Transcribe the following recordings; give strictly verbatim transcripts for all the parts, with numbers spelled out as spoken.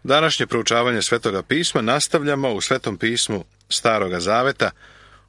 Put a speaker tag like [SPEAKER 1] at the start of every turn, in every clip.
[SPEAKER 1] Današnje proučavanje Svetoga pisma nastavljamo u Svetom pismu Staroga zaveta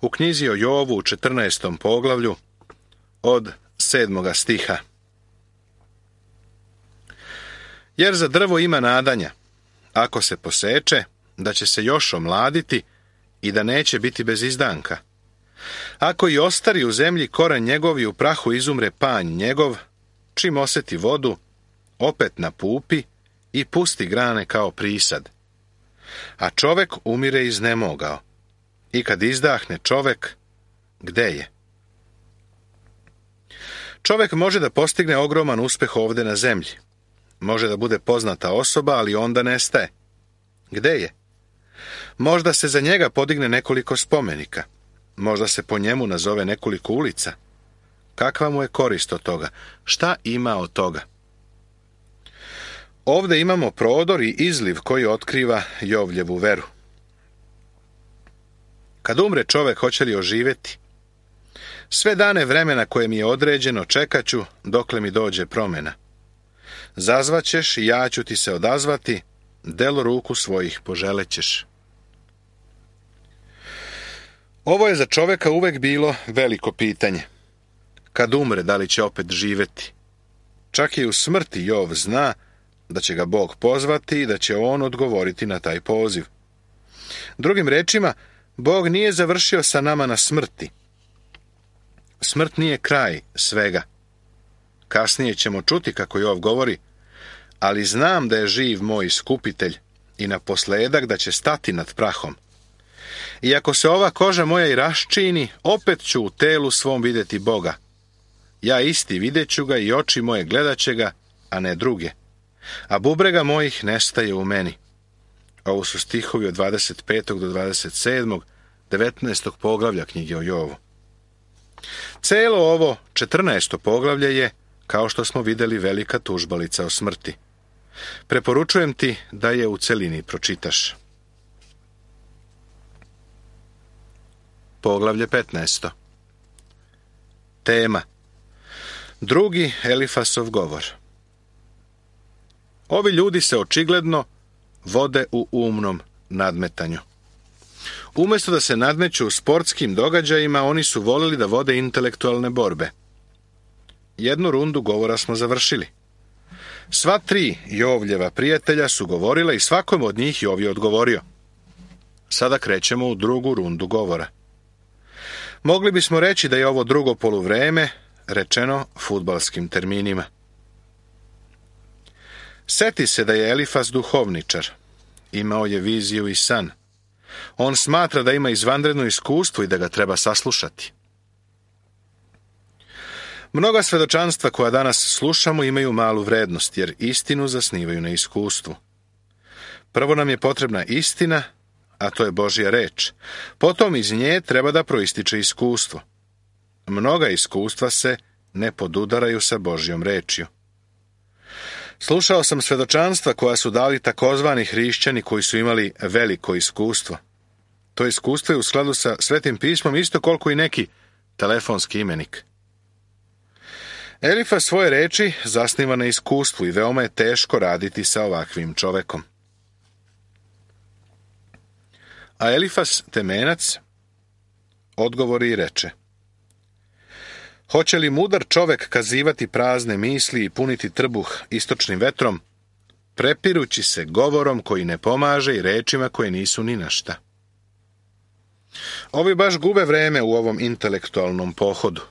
[SPEAKER 1] u knjizi o Jovu u četrnaestom poglavlju od sedmoga stiha. Jer za drvo ima nadanja, ako se poseče, da će se još omladiti i da neće biti bez izdanka. Ako i ostari u zemlji koren njegov i u prahu izumre panj njegov, čim oseti vodu, opet napupi i pusti grane kao prisad. A čovek umire iznemogao. I kad izdahne čovek, gde je? Čovek može da postigne ogroman uspeh ovde na zemlji. Može da bude poznata osoba, ali onda nestaje. Gde je? Možda se za njega podigne nekoliko spomenika. Možda se po njemu nazove nekoliko ulica. Kakva mu je korist od toga? Šta ima od toga? Ovde imamo prodor i izliv koji otkriva Jovljevu veru. Kad umre čovek, hoće li oživeti? Sve dane vremena koje mi je određeno čekaću dokle mi dođe promjena. Zazvaćeš i ja ću ti se odazvati, delo ruku svojih poželećeš. Ovo je za čoveka uvek bilo veliko pitanje. Kad umre, da li će opet živeti? Čak i u smrti Jov zna da će ga Bog pozvati i da će on odgovoriti na taj poziv. Drugim rečima, Bog nije završio sa nama na smrti. Smrt nije kraj svega. Kasnije ćemo čuti kako Jov govori, ali znam da je živ moj iskupitelj i naposledak da će stati nad prahom. I ako se ova koža moja i raščini, opet ću u telu svom vidjeti Boga. Ja isti vidjet ću ga i oči moje gledat će ga, a ne druge. A bubrega mojih nestaje u meni. Ovo su stihovi od dvadeset petog do dvadeset sedmog, devetnaestog poglavlja knjige o Jovu. Celo ovo četrnaesto poglavlje je, kao što smo vidjeli, velika tužbalica o smrti. Preporučujem ti da je u celini pročitaš. Poglavlje petnaesto. Tema: drugi Elifasov govor. Ovi ljudi se očigledno vode u umnom nadmetanju. Umjesto da se nadmeću u sportskim događajima, oni su volili da vode intelektualne borbe. Jednu rundu govora smo završili. Sva tri Jovljeva prijatelja su govorila i svakom od njih Jov je odgovorio. Sada krećemo u drugu rundu govora. Mogli bismo reći da je ovo drugo poluvreme, rečeno fudbalskim terminima. Seti se da je Elifas duhovničar. Imao je viziju i san. On smatra da ima izvanredno iskustvo i da ga treba saslušati. Mnoga svedočanstva koja danas slušamo imaju malu vrednost, jer istinu zasnivaju na iskustvu. Prvo nam je potrebna istina, a to je Božja reč. Potom iz nje treba da proističe iskustvo. Mnoga iskustva se ne podudaraju sa Božjom rečju. Slušao sam svedočanstva koja su dali takozvani hrišćani koji su imali veliko iskustvo. To iskustvo je u skladu sa Svetim pismom isto koliko i neki telefonski imenik. Elifas svoje reči zasniva na iskustvu i veoma je teško raditi sa ovakvim čovekom. A Elifas, temenac, odgovori i reče: hoće li mudar čovek kazivati prazne misli i puniti trbuh istočnim vetrom, prepirući se govorom koji ne pomaže i rečima koje nisu ni na šta? Ovi baš gube vreme u ovom intelektualnom pohodu.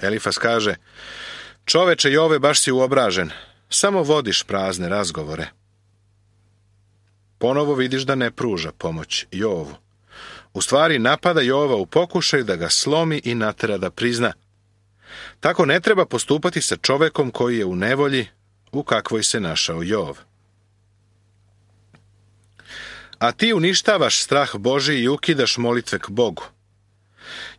[SPEAKER 1] Elifas kaže: čoveče Jove, baš si uobražen, samo vodiš prazne razgovore. Ponovo vidiš da ne pruža pomoć Jovu. U stvari napada Jova u pokušaju da ga slomi i natera da prizna. Tako ne treba postupati sa čovekom koji je u nevolji u kakvoj se našao Jov. A ti uništavaš strah Božji i ukidaš molitve k Bogu.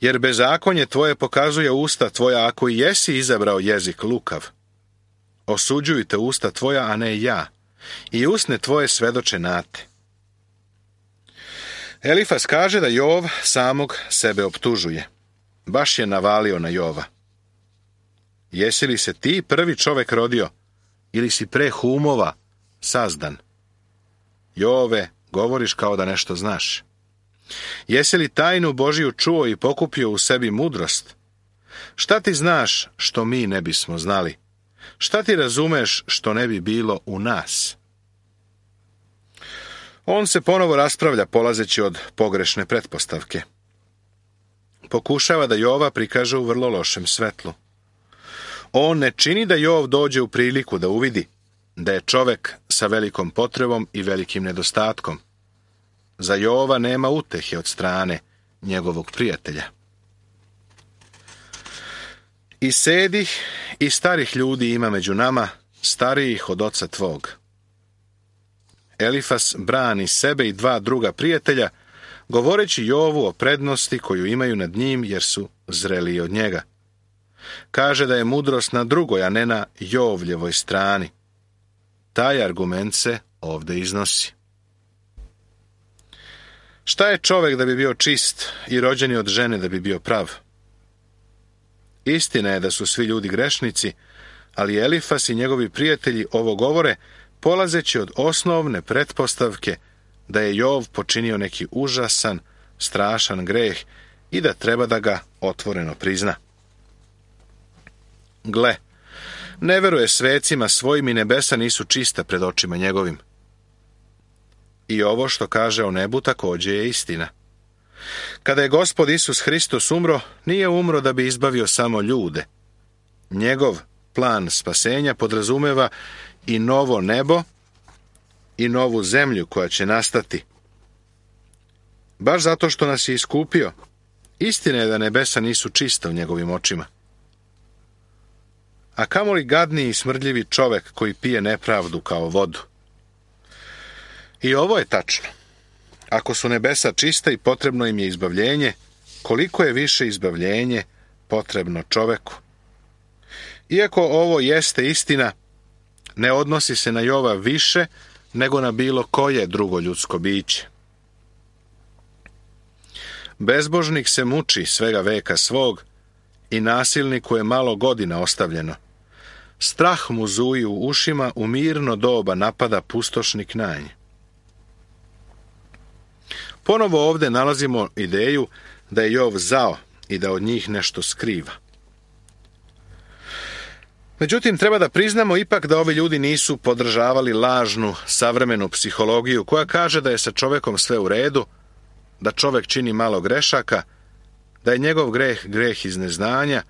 [SPEAKER 1] Jer bezakonje tvoje pokazuje usta tvoja, ako i jesi izabrao jezik lukav. Osuđuju te usta tvoja, a ne ja, i usne tvoje svedoče na te. Elifas kaže da Jov samog sebe optužuje. Baš je navalio na Jova. Jesi li se ti prvi čovek rodio, ili si pre humova sazdan? Jove, govoriš kao da nešto znaš. Jesi li tajnu Božiju čuo i pokupio u sebi mudrost? Šta ti znaš što mi ne bismo znali? Šta ti razumeš što ne bi bilo u nas? On se ponovo raspravlja polazeći od pogrešne pretpostavke. Pokušava da Jova prikaže u vrlo lošem svetlu. On ne čini da Jov dođe u priliku da uvidi da je čovek sa velikom potrebom i velikim nedostatkom. Za Jova nema utehe od strane njegovog prijatelja. I sedih i starih ljudi ima među nama, starijih od oca tvog. Elifas brani sebe i dva druga prijatelja, govoreći Jovu o prednosti koju imaju nad njim jer su zreliji od njega. Kaže da je mudrost na drugoj, a ne na Jovljevoj strani. Taj argument se ovdje iznosi. Šta je čovek da bi bio čist i rođen je od žene da bi bio prav? Istina je da su svi ljudi grešnici, ali Elifas i njegovi prijatelji ovo govore polazeći od osnovne pretpostavke da je Jov počinio neki užasan, strašan greh i da treba da ga otvoreno prizna. Gle, ne veruje svecima svojim i nebesa nisu čista pred očima njegovim. I ovo što kaže o nebu također je istina. Kada je Gospod Isus Hristos umro, nije umro da bi izbavio samo ljude. Njegov plan spasenja podrazumeva i novo nebo i novu zemlju koja će nastati. Baš zato što nas je iskupio, istina je da nebesa nisu čista u njegovim očima. A kamoli gadni i smrdljivi čovek koji pije nepravdu kao vodu. I ovo je tačno. Ako su nebesa čista i potrebno im je izbavljenje, koliko je više izbavljenje potrebno čoveku? Iako ovo jeste istina, ne odnosi se na Jova više nego na bilo koje drugo ljudsko biće. Bezbožnik se muči svega veka svog i nasilniku je malo godina ostavljeno. Strah mu zuji u ušima, u mirno doba napada pustošnik na nje. Ponovo ovdje nalazimo ideju da je Jov zao i da od njih nešto skriva. Međutim, treba da priznamo ipak da ovi ljudi nisu podržavali lažnu, savremenu psihologiju koja kaže da je sa čovekom sve u redu, da čovek čini malo grešaka, da je njegov greh greh iz neznanja,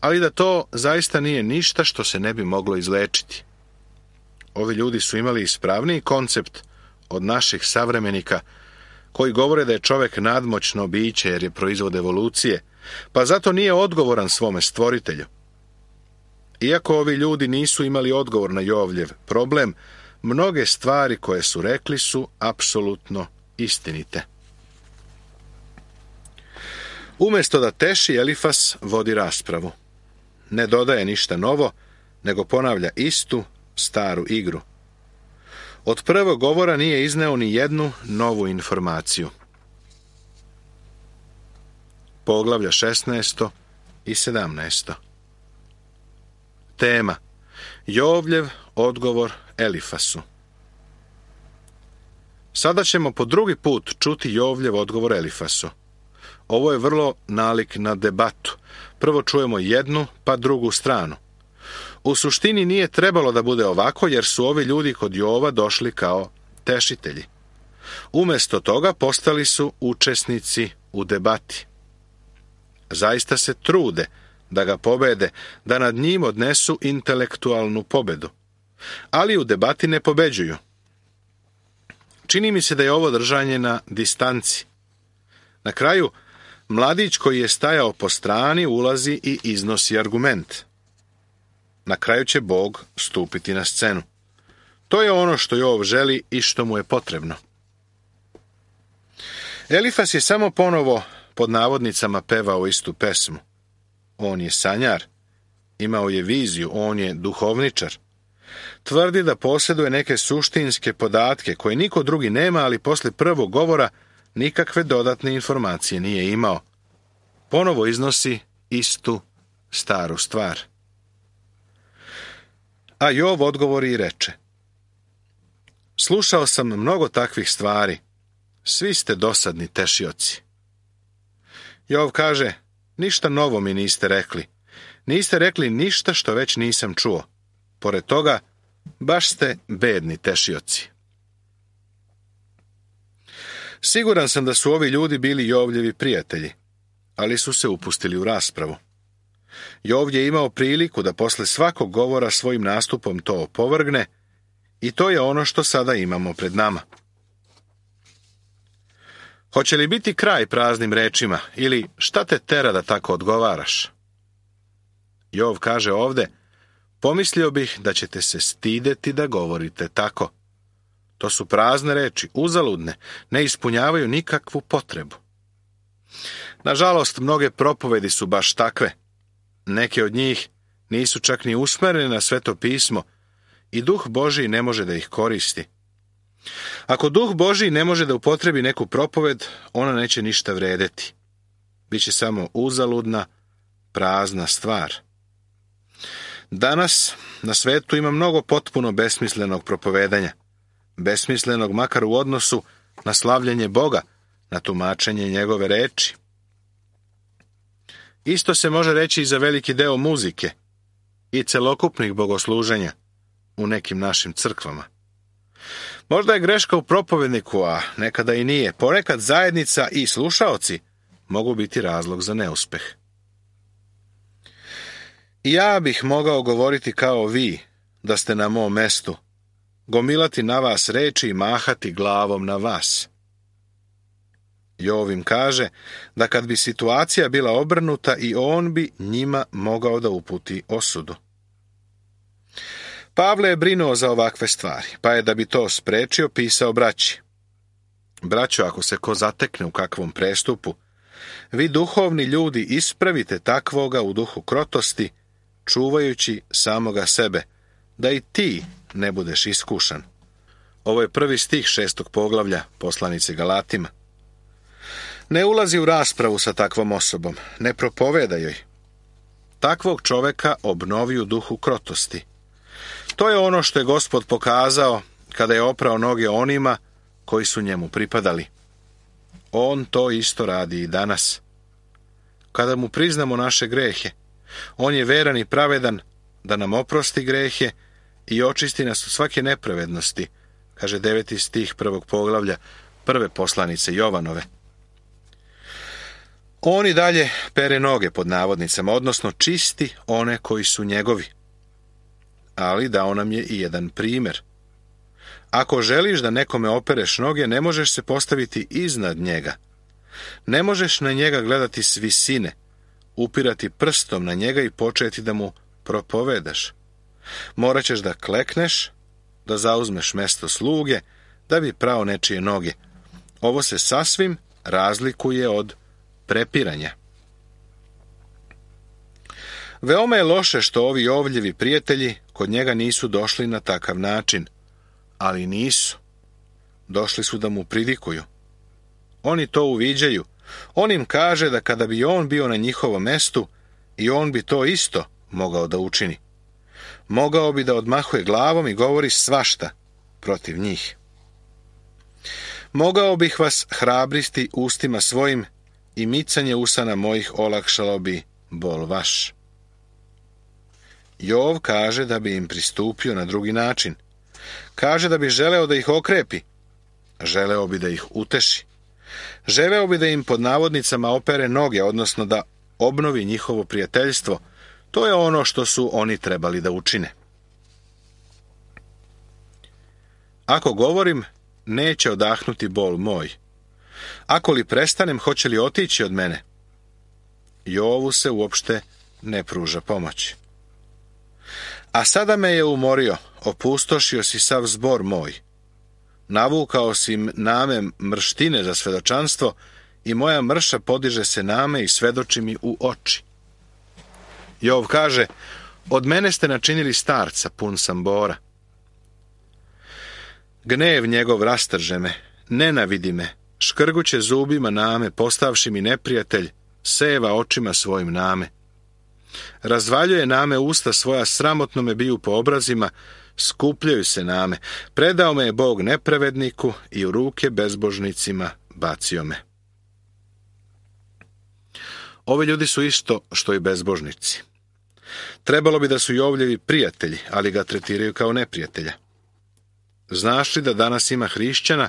[SPEAKER 1] ali da to zaista nije ništa što se ne bi moglo izlečiti. Ovi ljudi su imali ispravniji koncept od naših savremenika koji govore da je čovek nadmoćno biće jer je proizvod evolucije, pa zato nije odgovoran svome stvoritelju. Iako ovi ljudi nisu imali odgovor na Jovljev problem, mnoge stvari koje su rekli su apsolutno istinite. Umjesto da teši, Elifas vodi raspravu. Ne dodaje ništa novo, nego ponavlja istu, staru igru. Od prvog govora nije izneo ni jednu novu informaciju. Poglavlja šesnaesto i sedamnaesto. Tema: Jovljev odgovor Elifasu. Sada ćemo po drugi put čuti Jovljev odgovor Elifasu. Ovo je vrlo nalik na debatu. Prvo čujemo jednu, pa drugu stranu. U suštini nije trebalo da bude ovako, jer su ovi ljudi kod Jova došli kao tešitelji. Umjesto toga postali su učesnici u debati. Zaista se trude da ga pobede, da nad njim odnesu intelektualnu pobedu. Ali u debati ne pobeđuju. Čini mi se da je ovo držanje na distanci. Na kraju, mladić koji je stajao po strani ulazi i iznosi argument. Na kraju će Bog stupiti na scenu. To je ono što Jov želi i što mu je potrebno. Elifas je samo ponovo pod navodnicama pevao istu pesmu. On je sanjar, imao je viziju, on je duhovničar. Tvrdi da posjeduje neke suštinske podatke koje niko drugi nema, ali posle prvog govora nikakve dodatne informacije nije imao. Ponovo iznosi istu staru stvar. A Jov odgovori i reče: Slušao sam mnogo takvih stvari. Svi ste dosadni tešioci. Jov kaže, ništa novo mi niste rekli. Niste rekli ništa što već nisam čuo. Pored toga, baš ste bedni tešioci. Siguran sam da su ovi ljudi bili Jovljevi prijatelji, ali su se upustili u raspravu. Jov je imao priliku da posle svakog govora svojim nastupom to opovrgne i to je ono što sada imamo pred nama. Hoće li biti kraj praznim rečima ili šta te tera da tako odgovaraš? Jov kaže ovde, pomislio bih da ćete se stideti da govorite tako. To su prazne reči, uzaludne, ne ispunjavaju nikakvu potrebu. Nažalost, mnoge propovedi su baš takve. Neke od njih nisu čak ni usmerene na Sveto pismo i Duh Božji ne može da ih koristi. Ako Duh Božji ne može da upotrebi neku propoved, ona neće ništa vredeti. Biće samo uzaludna, prazna stvar. Danas na svetu ima mnogo potpuno besmislenog propovedanja. Besmislenog makar u odnosu na slavljenje Boga, na tumačenje njegove reči. Isto se može reći i za veliki deo muzike i celokupnih bogosluženja u nekim našim crkvama. Možda je greška u propovedniku, a nekada i nije. Ponekad zajednica i slušaoci mogu biti razlog za neuspeh. I ja bih mogao govoriti kao vi, da ste na mom mestu, gomilati na vas reči i mahati glavom na vas. Jov im kaže da kad bi situacija bila obrnuta i on bi njima mogao da uputi osudu. Pavle je brinuo za ovakve stvari, pa je da bi to sprečio pisao braći. Braćo, ako se ko zatekne u kakvom prestupu, vi duhovni ljudi ispravite takvoga u duhu krotosti, čuvajući samoga sebe, da i ti ne budeš iskušan. Ovo je prvi stih šestog poglavlja poslanice Galatima. Ne ulazi u raspravu sa takvom osobom, ne propoveda joj. Takvog čoveka obnovi u duhu krotosti. To je ono što je Gospod pokazao kada je oprao noge onima koji su njemu pripadali. On to isto radi i danas. Kada mu priznamo naše grehe, on je veran i pravedan da nam oprosti grehe i očisti nas od svake nepravednosti, kaže deveti stih prvog poglavlja prve poslanice Jovanove. On i dalje pere noge pod navodnicama, odnosno čisti one koji su njegovi. Ali dao nam je i jedan primjer. Ako želiš da nekome opereš noge, ne možeš se postaviti iznad njega. Ne možeš na njega gledati s visine, upirati prstom na njega i početi da mu propovedaš. Morat ćeš da klekneš, da zauzmeš mesto sluge, da bi prao nečije noge. Ovo se sasvim razlikuje od prepiranja. Veoma je loše što ovi Jovljevi prijatelji kod njega nisu došli na takav način, ali nisu. Došli su da mu pridikuju. Oni to uviđaju. On im kaže da kada bi on bio na njihovom mestu, i on bi to isto mogao da učini. Mogao bi da odmahuje glavom i govori svašta protiv njih. Mogao bih vas hrabristi ustima svojim i micanje usana mojih olakšalo bi bol vaš. Jov kaže da bi im pristupio na drugi način. Kaže da bi želeo da ih okrepi. Želeo bi da ih uteši. Želeo bi da im pod navodnicama opere noge, odnosno da obnovi njihovo prijateljstvo. To je ono što su oni trebali da učine. Ako govorim, neće odahnuti bol moj. Ako li prestanem, hoće li otići od mene? Jovu se uopšte ne pruža pomoć. A sada me je umorio, opustošio si sav zbor moj. Navukao si name mrštine za svedočanstvo i moja mrša podiže se name i svedoči mi u oči. Jov kaže, od mene ste načinili starca, pun sam bora. Gnev njegov rastrže me, nenavidi me, škrguće zubima name, postavši mi neprijatelj, seva očima svojim name. Razvaljuje name usta svoja, sramotno me biju po obrazima, skupljaju se name. Predao me je Bog nepravedniku i u ruke bezbožnicima bacio me. Ovi ljudi su isto što i bezbožnici. Trebalo bi da su Jovljevi prijatelji, ali ga tretiraju kao neprijatelja. Znaš li da danas ima hrišćana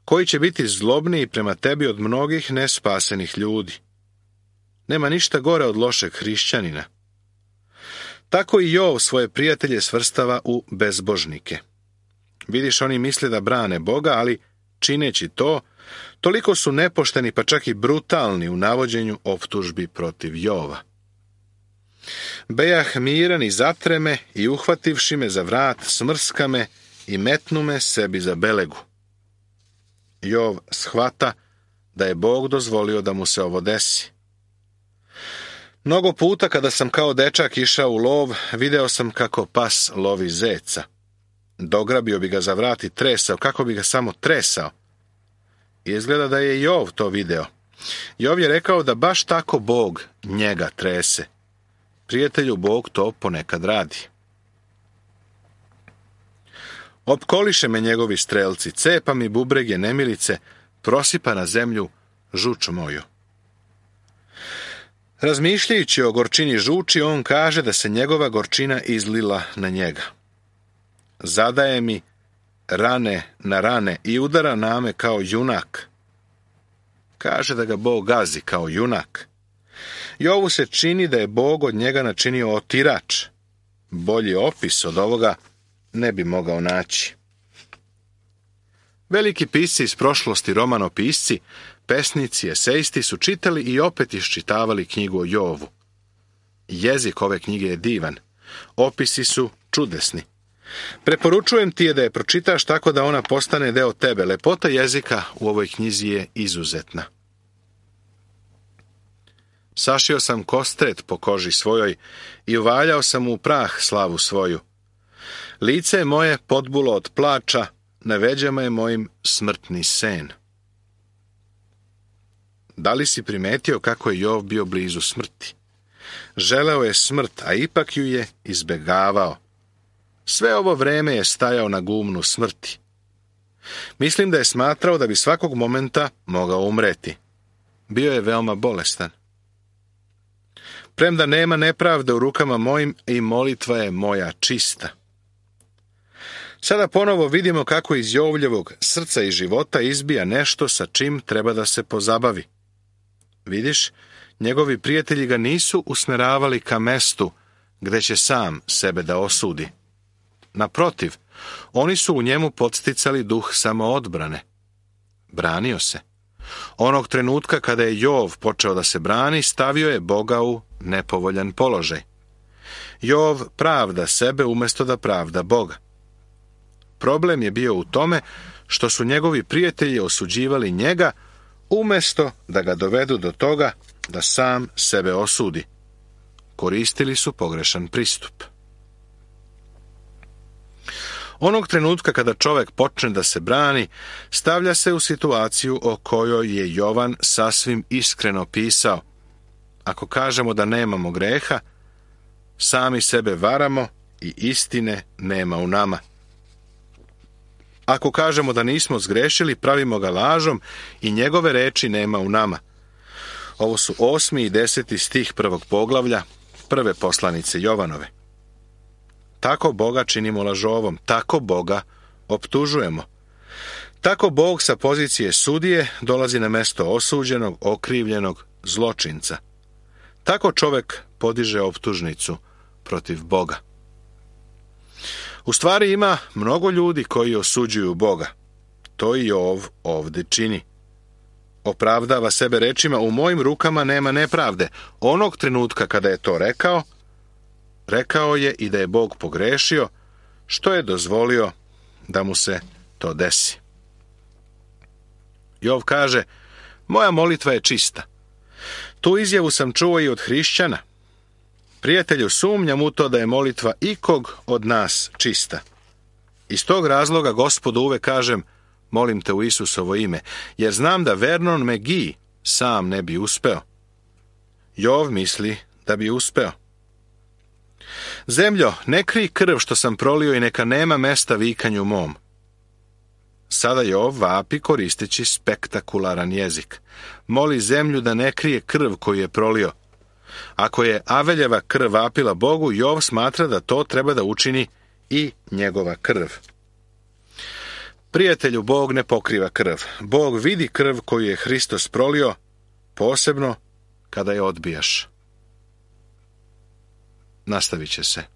[SPEAKER 1] koji će biti zlobniji prema tebi od mnogih nespasenih ljudi? Nema ništa gore od lošeg hrišćanina. Tako i Jov svoje prijatelje svrstava u bezbožnike. Vidiš, oni misle da brane Boga, ali čineći to, toliko su nepošteni pa čak i brutalni u navođenju optužbi protiv Jova. Bejah miran i zatreme i uhvativši me za vrat smrska me i metnu me sebi za belegu. Jov shvata da je Bog dozvolio da mu se ovo desi. Mnogo puta kada sam kao dečak išao u lov, video sam kako pas lovi zeca. Dograbio bi ga za vrat i tresao, kako bi ga samo tresao. Izgleda da je Jov to video. Jov je rekao da baš tako Bog njega trese. Prijatelju, Bog to ponekad radi. Opkoliše me njegovi strelci, cepa mi bubrege nemilice, prosipa na zemlju žuč moju. Razmišljajući o gorčini žuči, on kaže da se njegova gorčina izlila na njega. Zadaje mi rane na rane i udara name kao junak. Kaže da ga Bog gazi kao junak. Jovu se čini da je Bog od njega načinio otirač. Bolji opis od ovoga ne bi mogao naći. Veliki pisci iz prošlosti, romanopisci, pesnici, esejisti su čitali i opet iščitavali knjigu o Jovu. Jezik ove knjige je divan. Opisi su čudesni. Preporučujem ti je da je pročitaš tako da ona postane deo tebe. Lepota jezika u ovoj knjizi je izuzetna. Sašio sam kostret po koži svojoj i uvaljao sam u prah slavu svoju. Lice je moje podbulo od plača, na veđama je mojim smrtni sen. Da li si primetio kako je Jov bio blizu smrti? Želeo je smrt, a ipak ju je izbegavao. Sve ovo vreme je stajao na gumnu smrti. Mislim da je smatrao da bi svakog momenta mogao umreti. Bio je veoma bolestan. Premda nema nepravde u rukama mojim i molitva je moja čista. Sada ponovo vidimo kako iz Jovljevog srca i života izbija nešto sa čim treba da se pozabavi. Vidiš, njegovi prijatelji ga nisu usmeravali ka mestu gde će sam sebe da osudi. Naprotiv, oni su u njemu podsticali duh samoodbrane. Branio se. Onog trenutka kada je Jov počeo da se brani, stavio je Boga u nepovoljan položaj. Jov pravda sebe umjesto da pravda Boga. Problem je bio u tome što su njegovi prijatelji osuđivali njega umjesto da ga dovedu do toga da sam sebe osudi. Koristili su pogrešan pristup. Onog trenutka kada čovjek počne da se brani, stavlja se u situaciju o kojoj je Jovan sasvim iskreno pisao. Ako kažemo da nemamo greha, sami sebe varamo i istine nema u nama. Ako kažemo da nismo zgrešili, pravimo ga lažom i njegove reči nema u nama. Ovo su osmi i deseti stih prvog poglavlja, prve poslanice Jovanove. Tako Boga činimo lažovom, tako Boga optužujemo. Tako Bog sa pozicije sudije dolazi na mesto osuđenog, okrivljenog zločinca. Tako čovjek podiže optužnicu protiv Boga. U stvari ima mnogo ljudi koji osuđuju Boga. To i Jov ovdje čini. Opravdava sebe rečima, u mojim rukama nema nepravde. Onog trenutka kada je to rekao, rekao je i da je Bog pogrešio, što je dozvolio da mu se to desi. Jov kaže, moja molitva je čista. Tu izjavu sam čuo i od hrišćana. Prijatelju, sumnjam u to da je molitva ikog od nas čista. Iz tog razloga Gospodu uvek kažem, molim te u Isusovo ime, jer znam da Vernon McGee sam ne bi uspeo. Jov misli da bi uspeo. Zemljo, ne krij krv što sam prolio i neka nema mesta vikanju mom. Sada Jov vapi koristeći spektakularan jezik. Moli zemlju da ne krije krv koju je prolio. Ako je Aveljeva krv vapila Bogu, Jov smatra da to treba da učini i njegova krv. Prijatelju, Bog ne pokriva krv. Bog vidi krv koju je Hristos prolio, posebno kada je odbijaš. Nastavit će se.